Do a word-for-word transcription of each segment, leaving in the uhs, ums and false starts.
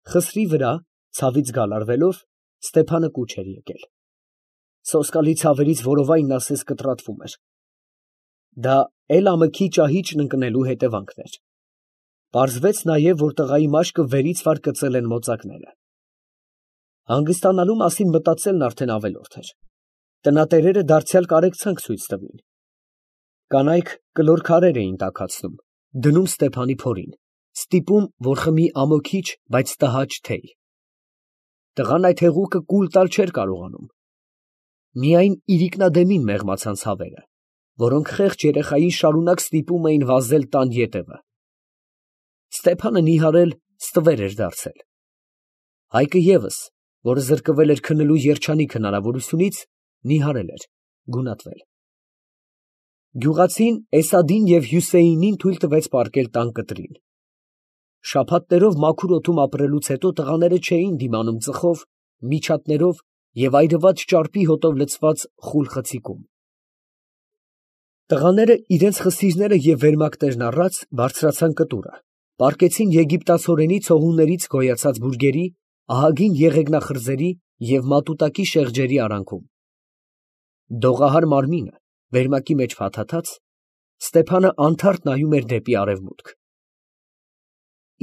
Խսրի վրա, ցավից գալարվելով, Ստեփանը կուչ էր եկել. սոսկալի ցավերից որովայնն ասես կտրատվում էր. դա էլ-ամքի ճահիճն ընկնելու հետևանքն էր. պարզվեց նաև, որ տղայի մաշկը վերից վար կծել են մոծակները։ Հանգստանալու մասին մտածելն արդեն ավելորդ էր. տնատերերը դարձյալ կարեկցանք ցույց տվին. կանայք կլոր քարեր էին տաքացնում, դնում Ստեփանի փորին, ստիպում, որ խմի ամոքիչ, բայց տհաճ թեյ։ Տղան այդ հեղուկը կուլ տալ չէր կարողանում. միայն իրիկնադեմին մեղմացան ցավերը, որոնք խեղճ երեխային շարունակ ստիպում էին վազել տան ետևը։ Ստեփանը նիհարել ստվեր էր դարձել։ Հայկը ևս, որը զրկվել էր քնելու երջանիկ հնարավորությունից, նիհարել էր, գունատվել։ Գյուղացին Էսադին և Հյուսեյնին թույլ տվեց պառկել տան կտրին։ Շաբաթներով մաքուր օդում ապրելուց հետո տղաները չէին դիմանում ծխով, միջատներով և այրված ճարպի հոտով լցված խուլ խցիկում։ Տղաները իրանց խսիրները և վերմակներն առած բարձրացան կտուրը, պառկեցին եգիպտացորենի ցողուններից գոյացած բուրգերի, ահագին եղեգնախրձերի և մատուտակի շեղջերի արանքում։ Դողահար մարմինը վերմակի մեջ փաթաթած, Ստեփանը անթարթ նայում էր դեպի արևմուտք։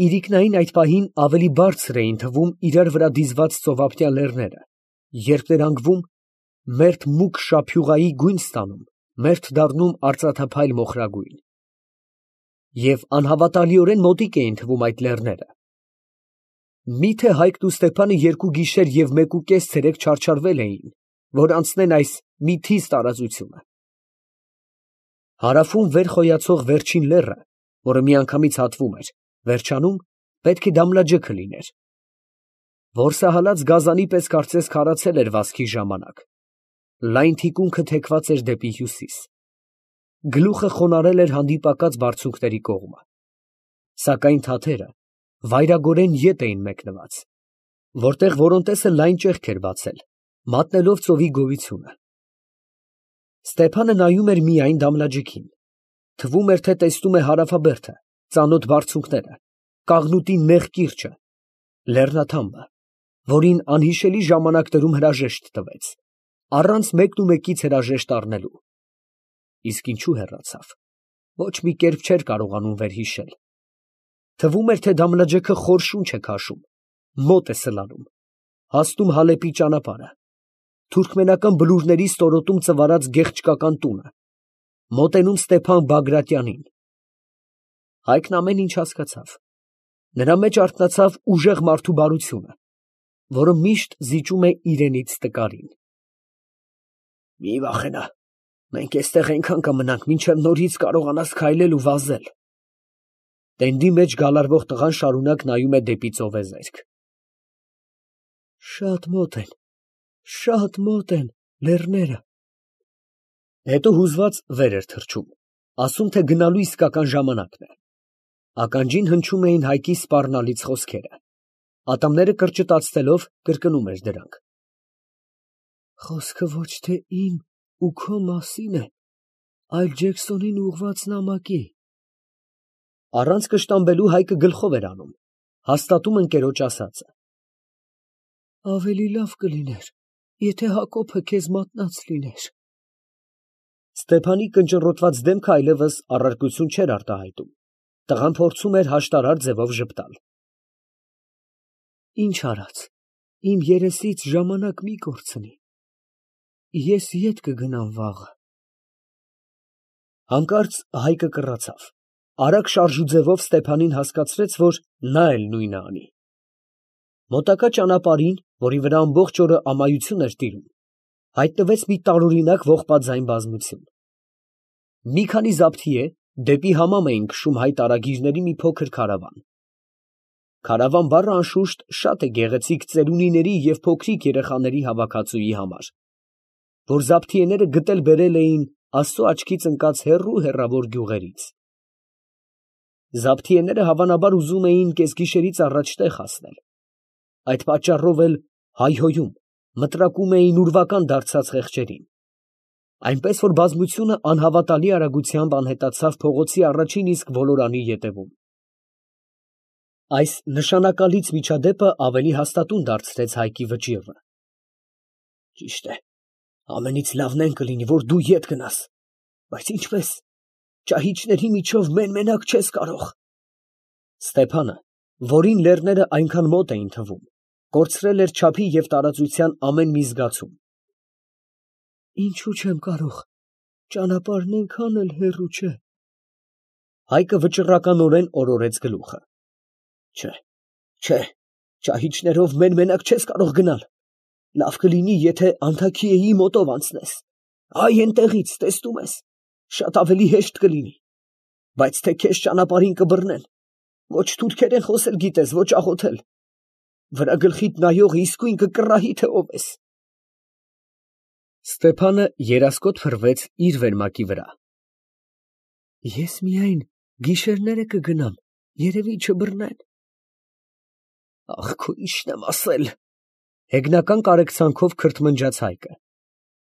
Իրիկնային այդ պահին ավելի բարձր էին թվում իրար վրա դիզված ծովափնյա լեռները, երբ ներանգվում, մերթ մուգ շափյուղայի գույն ստանում, մերթ դառնում արծաթափայլ մոխրագույն։ Եվ անհավատալիորեն մոտիկ էին թվում այդ լեռները։ Մի՞թե Հայկն ու Ստեփանը երկու գիշեր և մեկուկես ցերեկ չարչարվել էին, որ անցնեն այս միթիզ տարածությունը։ Հարավում վեր խոյացող վերջին լեռը, որը միանգամից հատվում էր, վերջանում, պետք է Դամլաջեքը լիներ։ Որսահալած գազանի պես կարծես քարացել էր վազքի ժամանակ։ Լայն թիկունքը թեքված էր դեպի հյուսիս։ Գլուխը խոնարհել էր հանդիպակաց բարձունքների կողմը։ Սակայն թաթերը վայրագորեն ետ էին մեկնված, որտեղ որոնտեսը լայն ճեղք էր բացել, մատնելով ծովի գոյությունը։ Ստեփանը նայում էր միայն Դամլաջեքին, թվում էր, թե տեսնում է հարավաբերդը, ծանոթ բարձունքները, կաղնուտի նեղ կիրճը, լեռնաթամբը, որին անհիշելի ժամանակներում հրաժեշտ տվեց, առանց մեկնումեկից հրաժեշտ առնելու։ Իսկ ինչու հեռացավ, ոչ մի կերպ չէր կարողանում վերհիշել։ Թվում էր, թե Դամլաջեքը խոր շունչ է քաշում, մոտ է սլանում, հասնում Հալեպի ճանապարհը, թուրքմենական բլուրների ստորոտում ծվարած գեղչկական տունը, մոտենում Ստեփան Բագրատյանին։ Հայկն ամեն ինչ հասկացավ. նրա մեջ արթնացավ ուժեղ մարդու բարությունը, որը միշտ զիջում է իրենից տկարին։ Մի վախենա, մենք էստեղ այնքան կմնանք, մինչև նորից կարողանաս քայլել ու վազել։ Տենդի մեջ գալարվող տղան շարունակ նայում է դեպի ծովեզերք։ Շատ մոտ են, շատ մոտ են լեռները։ Հետո հուզված վեր էր թռչում, ասում, թե գնալու իսկական ժամանակն է։ Ականջին հնչում էին Հայկի սպառնալից խոսքերը, ատամները կրճտացնելով կրկնում էր դրանք։ Խոսքը ոչ թե իմ ու քո մասին է, այլ Ջեքսոնին ուղղված նամակի։ Առանց կշտամբելու Հայկը գլխով էր անում, հաստատում ընկերոջ ասածը։ Ավելի լավ կլիներ, եթե Հակոբը քեզ մատնած լիներ։ Ստեփանի կնճռոտված դեմքը այլևս առարկություն չէր արտահայտում, տղան փորձում էր հաշտարար ձևով ժպտալ։ Ինչ արած, իմ երեսից ժամանակ մի կորցնի, ես ետ կգնամ վաղը։ Հանկարծ Հայկը կռացավ, արագ շարժուձևով Ստեփանին հասկացրեց, որ նա էլ նույնը անի։ Մոտակա ճանապարհին, որի վրա ամբողջ օրը ամայություն էր տիրում, հայտնվեց մի տարօրինակ ողբաձայն բազմություն։ Մի քանի զաբթիե դեպի համամ էին քշում հայ տարագիրների մի փոքր քարավան։ Քարավան բառը անշուշտ շատ է գեղեցիկ ծերունիների և փոքրիկ երեխաների հավաքածուի համար, որ զաբթիեները գտել֊բերել էին Աստծու աչքից ընկած հեռու֊հեռավոր գյուղերից։ Զաբթիեները հավանաբար ուզում էին կեսգիշերից առաջ տեղ հասնել, այդ պատճառով էլ հայհոյում, մտրակում էին ուրվական դարձած խեղճերին, այնպես որ բազմությունը անհավատալի արագությամբ անհետացավ փողոցի առաջին իսկ ոլորանի ետևում։ Այս նշանակալից միջադեպը ավելի հաստատուն դարձրեց Հայկի վճիռը։ Ճիշտ է, ամենից լավն այն կլինի, որ դու ետ գնաս, բայց ինչպես, ճահիճների միջով մեն֊մենակ չես կարող։ Ստեփանը, որին լեռները այնքան մոտ էին թվում, կորցրել էր չափի և տարածության ամեն մի զգացում։ Ինչու չեմ կարող, ճանապարհն այնքան էլ հեռու չէ։ Հայկը վճռականորեն օրորեց գլուխը։ Չէ, չէ, ճահիճներով մեն֊մենակ չես կարող գնալ։ Լավ կլինի, եթե Անթաքիեի մոտով անցնես։ Այ այնտեղից, տեսնում ես, շատ ավելի հեշտ կլինի։ Բայց թե քեզ ճանապարհին կբռնեն, ոչ թուրքերեն խոսել գիտես, ոչ աղոթել։ Վրա գլխիդ նայողը իսկույն կկռահի, թե ով ես։ Ստեփանը երասկոտ փռվեց իր վերմակի վրա։ Ես միայն գիշերները կգնամ, երևի չբռնեն։ Ախ, քո իշն եմ ասել։ Հեգնական կարեկցանքով քրթմնջաց Հայկը։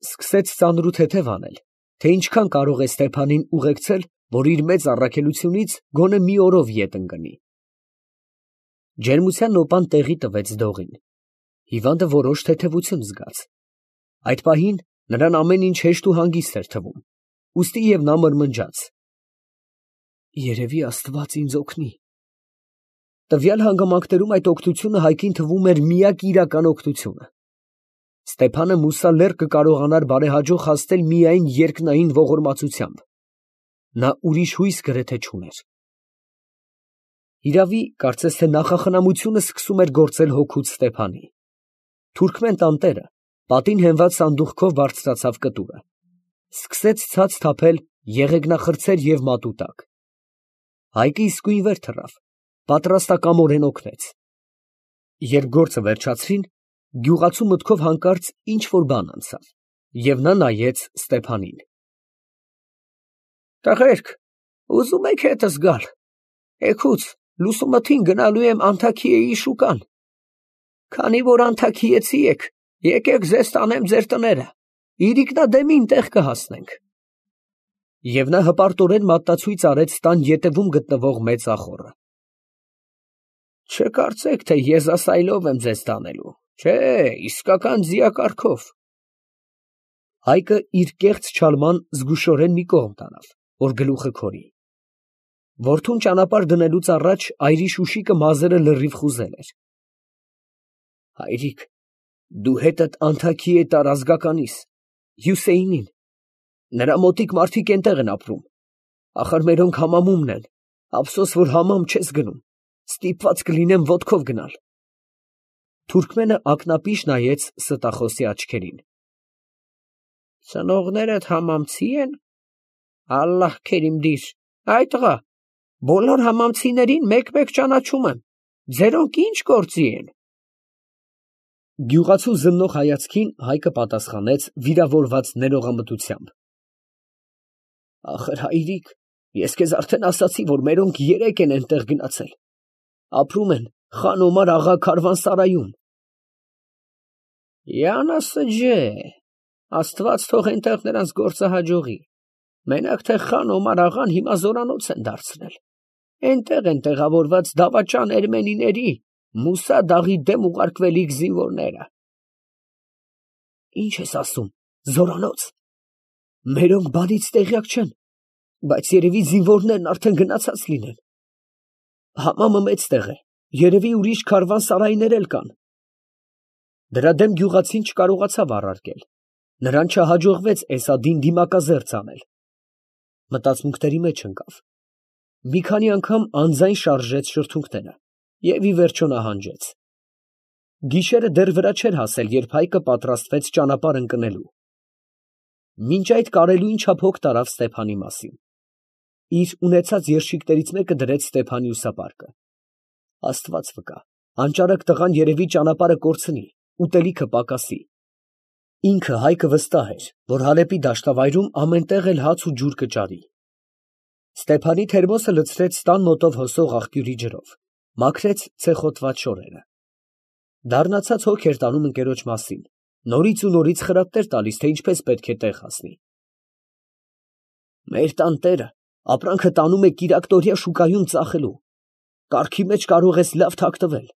Սկսեց ծանրութեթև անել, թե ինչքան կարող է Ստեփանին ուղեկցել, որ իր մեծ առաքելությունից գոնե մի օրով ետ ընկնի։ Ջերմության նոպան տեղի տվեց դողին։ Հիվանդը որոշ թեթևություն զգաց։ Այդ պահին նրան ամեն ինչ հեշտ ու հանգիստ էր թվում, ուստի և նա մրմնջաց. Երևի Աստված ինձ օգնի։ Տվյալ հանգամանքներում այդ օգնությունը Հայկին թվում էր միակ իրական օգնությունը։ Ստեփանը մուսալեռ կկարողանար բարեհաջող հասնել միայն երկնային ողորմածությամբ։ Նա ուրիշ հույս գրեթե չուներ։ Իրավի, կարծես թե նախախնամությունը սկսում էր գործել հոգուց Ստեփանի։ Թուրքմեն տանտերը պատին հենված սանդուղքով բարձրացավ կտուրը։ Սկսեց ցած թափել եղեգնախրցեր և մատու տակ։ Հայկը իսկույն վեր թռավ, պատրաստակամորեն օգնեց։ Երբ գործը վերջացրին, գյուղացու մտքով հանկարծ ինչ֊որ բան անցավ, և նա նայեց Ստեփանին։ Տղերք, ուզում եք հետս գալ։ Էգուց լուսումըթին գնալու եմ Անթաքիեի շուկան։ Քանի որ անթաքիեցի եք, եկեք ձեզ տանեմ ձեր տները, իրիկնադեմին տեղ կհասնենք։ Եվ նա հպարտորեն մատնացույց արեց տան ետևում գտնվող մեծ ախոռը։ Չկարծեք, թե եզասայլով եմ ձեզ տանելու, չէ, իսկական ձիակառքով։ Հայկը իր կեղծ չալման զգուշորեն մի կողմ տարավ, որ գլուխը քորի։ Որդուն ճանապարհ դնելուց առաջ այրի շուշիկը մազերը լրիվ խուզել էր։ Հայրիկ, դու հետդ Անթաքիե տար ազգականիս, Հյուսեյնին, նրա մոտիկ մարդիկ էնտեղ են ապրում, ախար մերոնք համամումն են, ափսոս, որ համամ չես գնում, ստիպված կլինեմ ոտքով գնալ։ Թուրքմենը ակնապիշ նայեց ստախոսի աչքերին։ Ծնողներդ համամցի են։ Ալլահ քերիմ դիր, այ տղա, բոլոր համամցիներին մեկ-մեկ ճանաչում եմ, ձերոնք ինչ գործի են։ Գյուղացու զննող հայացքին Հայկը պատասխանեց վիրավորված ներողամտությամբ. Ախր հայրիկ, ես քեզ արդեն ասացի, որ մերոնք երեք են այնտեղ գնացել, ապրում են Խան Օմար աղա քարվանսարայում։ Յանա սջե, Աստված թող այնտեղ նրանց գործը հաջողի, մենակ թե Խան Օմար աղան հիմա զորանոց են դարձրել, այնտեղ են տեղավորված դավաճան էրմենիների Մուսա Դաղի դեմ ուղարկվելիք զինվորները։ Ինչ ես ասում, զորանոց։ Մերոնք բանից տեղյակ չեն, բայց երևի զինվորներն արդեն գնացած լինեն։ Համամը մեծ տեղ է, երևի ուրիշ քարվանսարայներ էլ կան։ Դրա դեմ գյուղացին չկարողացավ առարկել, նրան չհաջողվեց Էսադին դիմակազերծ անել։ Մտածմունքների մեջ ընկավ։ Մի քանի անգամ անձայն շարժեց շրթունքները և ի վերջո նահանջեց։ Գիշերը դեռ վրա չէր հասել, երբ Հայկը պատրաստվեց ճանապարհ ընկնելու։ Մինչ այդ կարելույն չափ հոգ տարավ Ստեփանի մասին։ Իր ունեցած երշիկներից մեկը դրեց Ստեփանի ուսապարկը։ Աստված վկա, անճարակ տղան երևի ճանապարհը կորցնի, ուտելիքը պակասի։ Ինքը Հայկը վստահ էր, որ Հալեպի դաշտավայրում ամեն տեղ էլ հաց ու ջուր կճարի։ Ստեփանի թերմոսը լցրեց տան մոտով հոսող աղբյուրի ջրով, մաքրեց ցեխոտված շորերը։ Դառնացած հոգ էր տանում ընկերոջ մասին, նորից ու նորից խրատներ տալիս, թե ինչպես պետք է տեղ հասնի։ Մեր տանտերը ապրանքը տանում է Կիրակտորյա շուկայում ծախելու, Կառքի մեջ կարող ես լավ թաքնվել,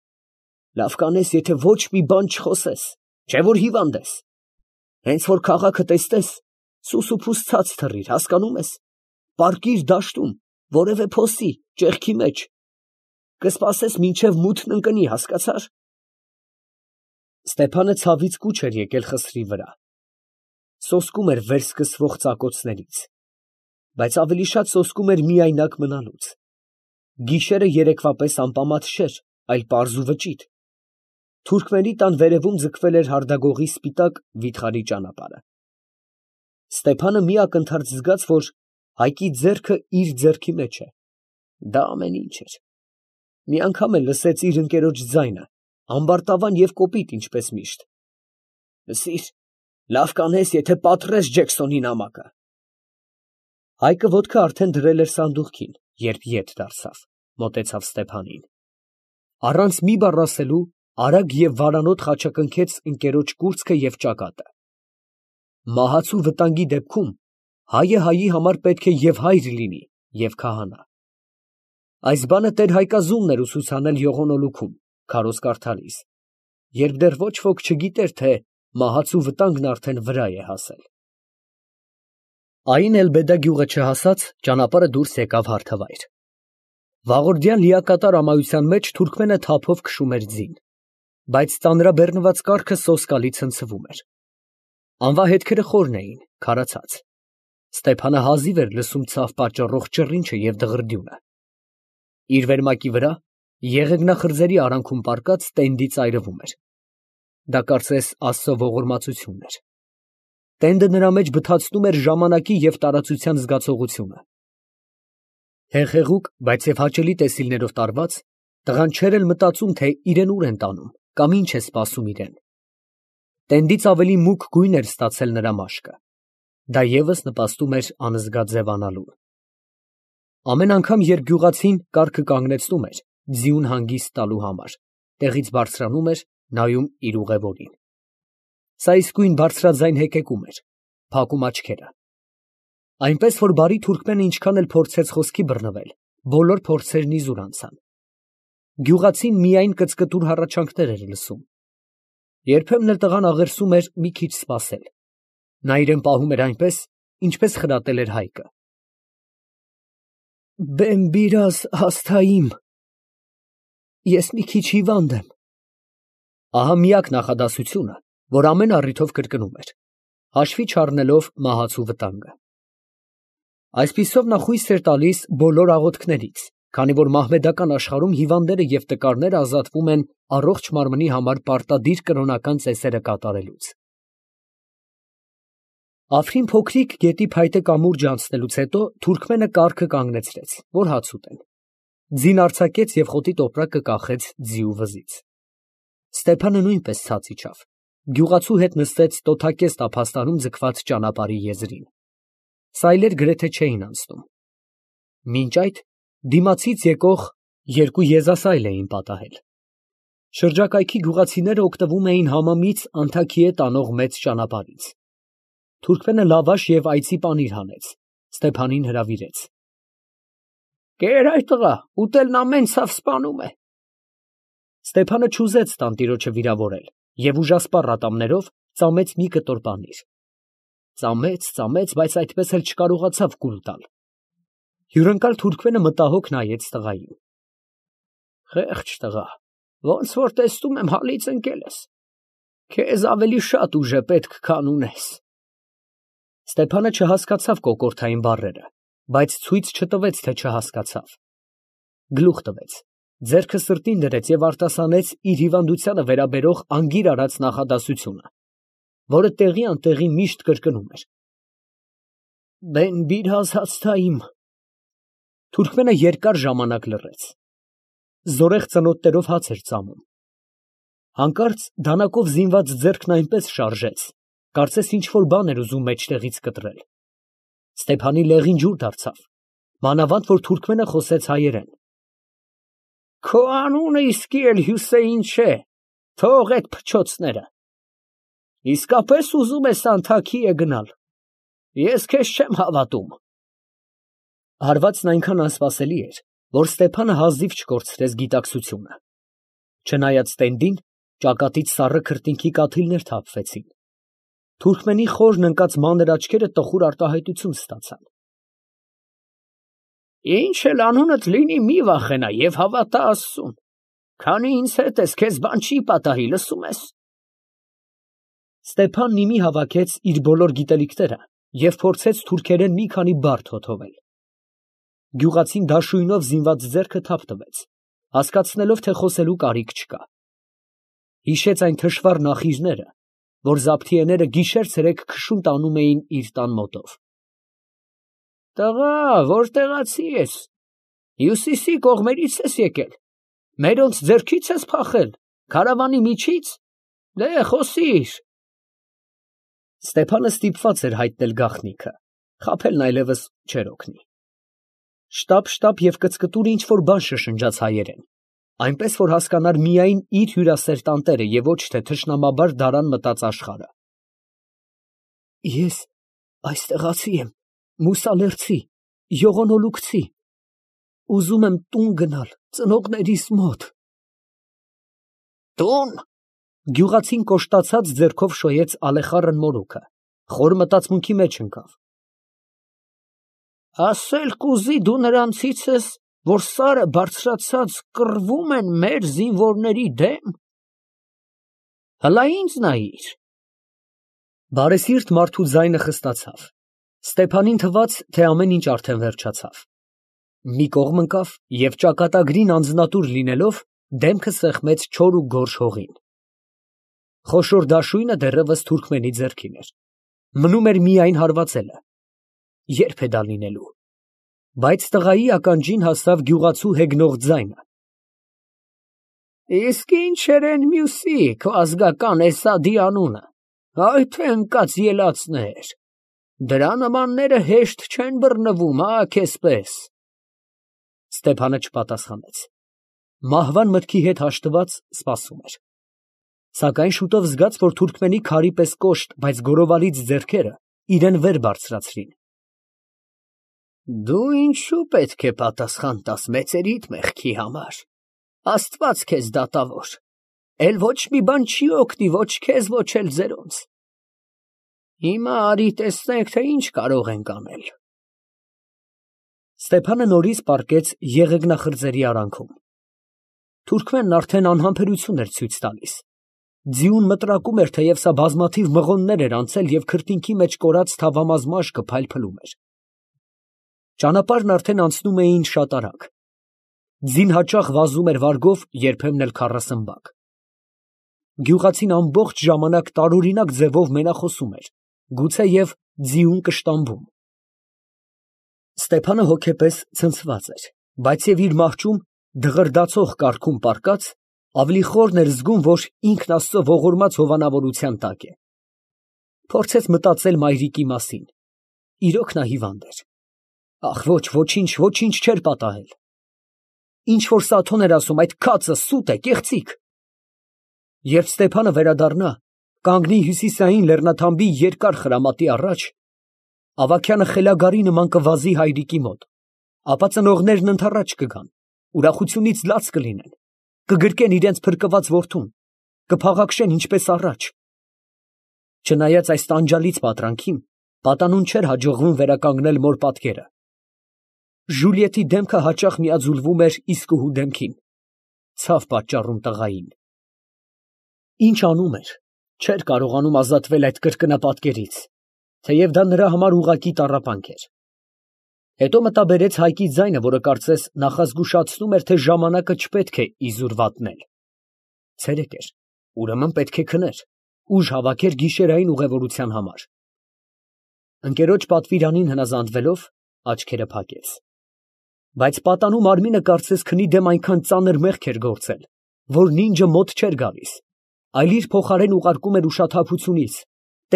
լավ կանես, եթե ոչ մի բան չխոսես, չէ որ հիվանդ ես, հենց որ քաղաքը տեսնես, սուսուփուս ցած թռիր, հասկանում ես, պառկիր դաշտում, որևէ փոսի, ճեղքի մեջ, կսպասես մինչև մութն ընկնի, հասկացա՞ր։ Ստեփանը ցավից կուչ էր եկել խսրի վրա, սոսկում էր վերսկսվող ծակոցներից, բայց ավելի շատ սոսկում էր միայնակ մնալուց։ Գիշերը երեկվա պես անպամատ չէր, այլ պարզ ու վճիտ։ Թուրքմենի տան վերևում ձգվել էր հարդագողի սպիտակ վիթխարի ճանապարհը։ Ստեփանը մի ակնթարթ զգաց, որ Հայկի ձեռքը իր ձեռքի մեջ է։ Դա ամեն ինչ էր։ Մի անգամ էլ լսեց իր ընկերոջ ձայնը, ամբարտավան և կոպիտ, ինչպես միշտ։ Լսիր, լավ կանես, եթե պատռես Ջեքսոնի նամակը։ Հայկը ոտքը արդեն դրել էր սանդուղքին, երբ ետ դարձավ, մոտեցավ Ստեփանին։ Առանց մի բառ ասելու, արագ և վարանոտ խաչակնքեց ընկերոջ կուրծքը և ճակատը։ Մահացու վտանգի դեպքում հայը հայի համար պետք է և հայր լինի, և քահանա։ Այս բանը տեր Հայկազունն էր ուսուցանել եղունոլուքում, քարոզ կարդալիս, երբ դեռ ոչ ոք չգիտեր, թե մահացու վտանգն արդեն վրա է հասել։ Այն էլ-Բեդա գյուղը չհասած, ճանապարհը դուրս եկավ հարթավայր։ Վաղորդյան լիակատար ամայության մեջ թուրքմենը թափով քշում էր ձին, բայց ծանրաբեռնված կառքը սոսկալի ցնցվում էր։ Անվահետքերը խորն էին, քարացած։ Ստեփանը հազիվ էր լսում ցավ պատճառող ճռինչը և դղրդյունը։ Իր վերմակի վրա եղեգնախրձերի արանքում պառկած տենդի ծայրվում էր։ Դա կարծես Աստծո ողորմածությունն էր։ Տենդը նրա մեջ բթացնում էր ժամանակի և տարածության զգացողությունը։ Հեղեղուկ, բայց և հաճելի տեսիլներով տարված, տղան չէր էլ մտածում, թե իրեն ուր են տանում կամ ինչ է սպասում իրեն։ Տենդից ավելի մուգ գույն էր ստացել նրա մաշկը։ Դա ևս նպաստում էր անզգա ձևանալուն։ Ամեն անգամ, երբ գյուղացին կառքը կանգնեցնում էր, ձիուն հանգիստ տալու համար, տեղից բարձրանում էր, նայում իր ուղևորին։ Սա իսկույն բարձրաձայն հեկեկում էր, փակում աչքերը։ Այնպես որ բարի թուրքմենը ինչքան էլ փորձեց խոսքի բռնվել, բոլոր փորձերն իզուր անցան։ Գյուղացին միայն կծկտուր հառաչանքներ էր լսում։ Երբեմն էլ տղան աղերսում էր մի քիչ սպասել։ Նա իրեն պահում էր այնպես, ինչպես խրատել էր Հայկը։ Բեն բիրազ հասթայիմ, ես մի քիչ հիվանդ եմ։ Ահա միակ նախադասությունը, որ ամեն առիթով կրկնում էր, հաշվի չառնելով մահացու վտանգը։ Այսպիսով նա խույս էր տալիս բոլոր աղոթքներից, քանի որ մահմեդական աշխարհում հիվանդները և տկարները ազատվում են առողջ մարմնի համար պարտադիր կրոնական ծեսերը կատարելուց։ Ափրին փոքրիկ գետի փայտե կամուրջը անցնելուց հետո թուրքմենը կառքը կանգնեցրեց, որ հաց ուտեն։ Ձին արձակեց և խոտի տոպրակը կախեց ձիու վզից։ Ստեփանը նույնպես ցած իջավ, գյուղացու հետ նստեց տոթակես տափաստանում ձգված ճանապարհի եզրին։ Սայլեր գրեթե չէին անցնում։ Մինչ այդ դիմացից եկող երկու եզասայլ էին պատահել։ Շրջակայքի գյուղացիները օգտվում էին համամիծ Անթաքիե տանող մեծ ճանապարհից։ Թուրքմենը լավաշ և այծի պանիր հանեց, Ստեփանին հրավիրեց։ Կեր այ տղա, ուտելն ամեն ցավ սպանում է։ Ստեփանը չուզեց տանտիրոջը վիրավորել և ուժասպառ ատամներով ծամեց մի կտոր պանիր։ Ծամեց, ծամեց, բայց այդպես էլ չկարողացավ կուլ տալ։ Հյուրընկալ թուրքմենը մտահոգ նայեց տղային։ Խեղճ տղա, ոնց որ տեսնում եմ հալից ընկել ես։ Քեզ ավելի շատ ուժ է պետք, քան ունես։ Ստեփանը չհասկացավ կոկորդային բառերը, բայց ցույց չտվեց, թե չհասկացավ։ Գլուխ տվեց, ձեռքը սրտին դրեց և արտասանեց իր հիվանդությանը վերաբերող անգիր արած նախադասությունը, որը տեղի֊անտեղի միշտ կրկնում էր. Բեն բիրազ հասթայիմ։ Թուրքմենը երկար ժամանակ լռեց։ Զորեղ ծնոտներով հաց էր ծամում։ Հանկարծ դանակով զինված ձեռքն այնպես շարժեց, կարծես ինչ֊որ բան էր ուզում մեջտեղից կտրել։ Ստեփանի լեղին ջուր դարձավ, մանավանդ որ թուրքմենը խոսեց հայերեն։ Քո անունը իսկի էլ Հյուսեին չէ, թող էդ փչոցները։ Իսկապես ուզում ես Անթաքիե գնալ, ես քեզ չեմ հավատում։ Հարվածն այնքան անսպասելի էր, որ Ստեփանը հազիվ չկորցրեց գիտակցությունը։ Չնայած տենդին, ճակատից սառը քրտինքի կաթիլներ թափվեցին։ Թուրքմենի խորն ընկած մանր աչքերը տխուր արտահայտություն ստացան։ Ինչ էլ անունդ լինի, մի վախենա և հավատա Աստծուն, քանի ինձ հետ ես, քեզ բան չի պատահի, լսում ես։ Ստեփանն իմի հավաքեց իր բոլոր գիտելիքները և փորձեց թուրքերեն մի քանի բառ թոթովել։ Գյուղացին դաշույնով զինված ձեռքը թափ տվեց, հասկացնելով, թե խոսելու կարիք չկա։ Հիշեց այն թշվառ նախիժները, որ զաբթիեները գիշեր֊ցերեկ քշում տանում էին իր տան մոտով։ Տղա, որտեղացի ես, հյուսիսի կողմերից ես եկել, մերոնց ձեռքից ես փախել, քարավանի միջից, դե խոսիր։ Ստեփանը ստիպված էր հայտնել գաղտնիքը, խաբելն այլևս չէր օգնի։ Շտապ֊շտապ և կծկտուր ինչ֊որ բան շշնջաց հայերեն, այնպես որ հասկանար միայն իր հյուրասեր տանտերը և ոչ թե թշնամաբար դարան մտած աշխարհը։ Ես այստեղացի եմ, մուսալերցի, յողոնոլուկցի, ուզում եմ տուն գնալ, ծնողներիս մոտ։ Տո՞ւն։ Գյուղացին կոշտացած ձեռքով շոյեց ալեխառն մորուքը, խոր մտածմունքի մեջ ընկավ։ Ասել կուզի դու նրանցից ես, որ սարը բարձրացած կռվում են մեր զինվորների դեմ։ Հլա ինձ նայիր։ Բարեսիրտ մարդու ձայնը խստացավ։ Ստեփանին թվաց, թե ամեն ինչ արդեն վերջացավ։ Մի կողմ ընկավ և ճակատագրին անձնատուր լինելով, դեմքը սեղմեց չոր ու գորշ հողին։ Խոշոր դաշույնը դեռևս թուրքմենի ձեռքին էր։ Մնում էր միայն հարվածելը։ Ե՞րբ է դա լինելու։ Բայց տղայի ականջին հասավ գյուղացու հեգնող ձայնը։ Իսկ ի՞նչեր են մյուսի, քո ազգական Էսադի անունը, այ թե ընկած ելածներ, դրա նմանները հեշտ չեն բռնվում, ա քեզ պես։ Ստեփանը չպատասխանեց։ Մահվան մտքի հետ հաշտված սպասում էր։ Սակայն շուտով զգաց, որ թուրքմենի քարի պես կոշտ, բայց գորովալից ձեռքերը իրան վեր բարձրացրին։ Դու ինչու պետք է պատասխան տաս մեծերիդ մեղքի համար, Աստված քեզ դատավոր, էլ ոչ մի բան չի օգնի ոչ քեզ, ոչ էլ ձերոնց։ Հիմա արի տեսնենք, թե ինչ կարող ենք անել։ Ստեփանը նորից պառկեց եղեգնախրձերի արանքում։ Թուրքմենն արդեն անհամբերություն էր ցույց տալիս։ Ձիուն մտրակում էր, թեև սա բազմաթիվ մղոններ էր անցել և քրտինքի մեջ կորած թավամազ մաշկը փայլփլում էր։ Ճանապարհն արդեն անցնում էին շատ արագ։ Ձին հաճախ վազում էր վարգով, երբեմն էլ քառասնբակ։ Գյուղացին ամբողջ ժամանակ տարօրինակ ձևով մենախոսում էր, գուցեև ձիուն կշտամբում։ Ստեփանը հոգեպես ցնցված էր, բայց և իր մահճում դղրդացող կառքում պառկած, ավելի խորն էր զգում, որ ինքն Աստծո ողորմած հովանավորության տակ է։ Փորձեց մտածել մայրիկի մասին։ Իրոք նա հիվանդ էր։ Ախ, ոչ, ոչինչ, ոչինչ չէր պատահել։ Ինչ որ Սաթոն էր ասում, այդ քացը սուտ է, կեղծիք։ Երբ Ստեփանը վերադառնա, կանգնի հյուսիսային լեռնաթամբի երկար խրամատի առաջ, Ավագյանը խելագարի նման կվազի հայրիկի մոտ, ապա ծնողներն ընդառաջ կգան, ուրախությունից լաց կլինեն, կգրկեն իրենց փրկված որդուն, կփաղաքշեն ինչպես առաջ։ Չնայած այս տանջալից պատրանքին, պատանուն չէր հաջողվում վերականգնել մոր պատկերը։ Ժուլիետի դեմքը հաճախ միաձուլվում էր իսկուհու դեմքին, ցավ պատճառում տղային։ Ինչ անում էր, չէր կարողանում ազատվել այդ կրկնապատկերից, թեև դա նրա համար ուղղակի տառապանք էր։ Հետո մտաբերեց Հայկի ձայնը, որը կարծես նախազգուշացնում էր, թե ժամանակը չպետք է իզուր վատնել։ Ցերեկ էր, ուրեմն պետք է քներ, ուժ հավաքեր գիշերային ուղևորության համար։ Ընկերոջ պատվիրանին հնազանդվելով, աչքերը փակեց։ Բայց պատանու մարմինը կարծես քնի դեմ այնքան ծանր մեղք էր գործել, որ նինջը մոտ չէր գալիս, այլ իր փոխարեն ուղարկում էր ուշաթափությունից,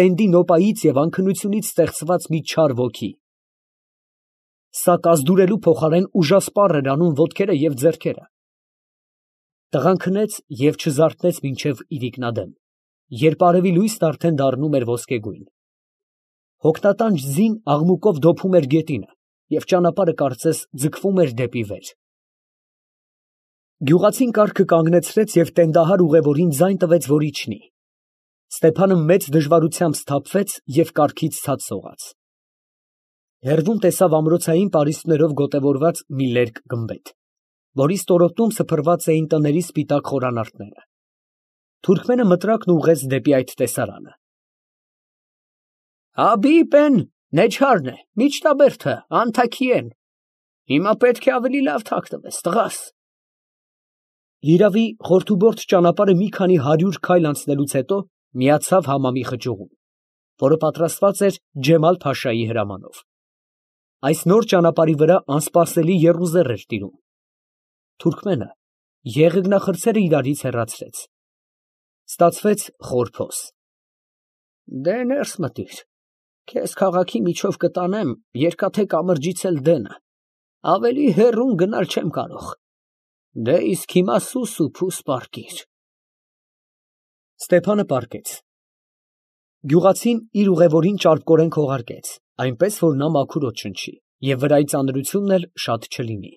տենդի նոպայից և անքնությունից ստեղծված մի չար ոգի։ Սա կազդուրելու փոխարեն ուժասպառ էր անում ոտքերը և ձեռքերը։ Տղան քնեց և չզարթնեց մինչև իրիկնադեմ, երբ արևի լույսն արդեն դառնում էր ոսկեգույն։ Հոգնատանջ ձին աղմուկով դոփում էր գետինը և ճանապարհը կարծես ձգվում էր դեպի վեր։ Գյուղացին կառքը կանգնեցրեց և տենդահար ուղևորին ձայն տվեց, որ իջնի։ Ստեփանը մեծ դժվարությամբ սթափվեց և կառքից ցած սողաց։ Հեռվում տեսավ ամրոցային պարիսպներով գոտևորված մի լերկ գմբեթ, որի ստորոտում սփռված էին տների սպիտակ խորանարդները։ Թուրքմենը մտրակն ուղղեց դեպի այդ տեսարանը։ ֊ Հաբիբ են Նեչարն է, միջնաբերդը, Անթաքիեն, հիմա պետք է ավելի լավ թակ տվես, տղաս։ Երևի, խորթուբորդ ճանապարհը մի քանի հարյուր քայլ անցնելուց հետո միացավ համամի խճուղուն, որը պատրաստված էր Ջեմալ֊Փաշայի հրամանով։ Այս նոր ճանապարհի վրա անսպասելի եռուզեռ էր տիրում։ Թուրքմենը եղեգնախրցերը իրարից հեռացրեց։ Ստացվեց խոր փոս։ Դե ներս մտիր, քեզ քաղաքի միջով կտանեմ Երկաթե կամրջից էլ դենը, ավելի հեռուն գնալ չեմ կարող, դե իսկ հիմա սուս ու փուս պառկիր։ Ստեփանը պառկեց։ Գյուղացին իր ուղևորին ճարպկորեն քողարկեց, այնպես որ նա մաքուր օդ շնչի և վրայի ծանրությունն էլ շատ չլինի։